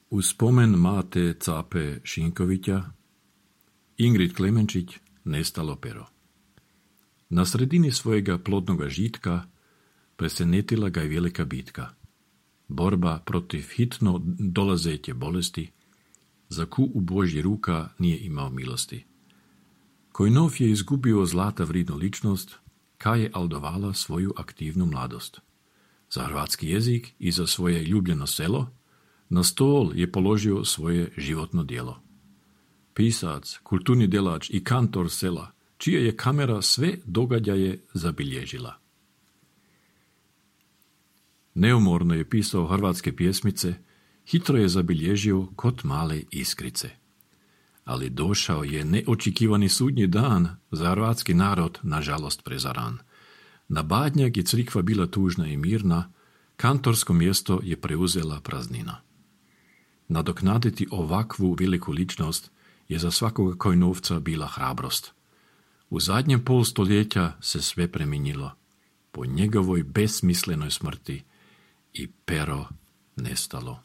U spomen Máte Cápe Šinkovića, Ingrid Klemenčić, nestalo pero. Na sredini svojega plodnoga žitka presenetila ga je velika bitka. Borba protiv hitno dolazeće bolesti, za ku u Božji ruka nije imao milosti. Kojnov je izgubio zlata vridnu ličnost, kaj je aldovala svoju aktivnu mladost. Za hrvatski jezik i za svoje ljubljeno selo na stol je položio svoje životno djelo. Pisac, kulturni djelač i kantor sela, čija je kamera sve događaje zabilježila. Neumorno je pisao hrvatske pjesmice, hitro je zabilježio kod male iskrice. Ali došao je neočekivani sudnji dan za hrvatski narod, nažalost prezaran. Na Badnjak je crikva bila tužna i mirna, kantorsko mjesto je preuzela praznina. Nadoknaditi ovakvu veliku ličnost je za svakoga Kojnovca bila hrabrost. U zadnjem pol stoljeća se sve preminilo. Po njegovoj besmislenoj smrti i pero nestalo.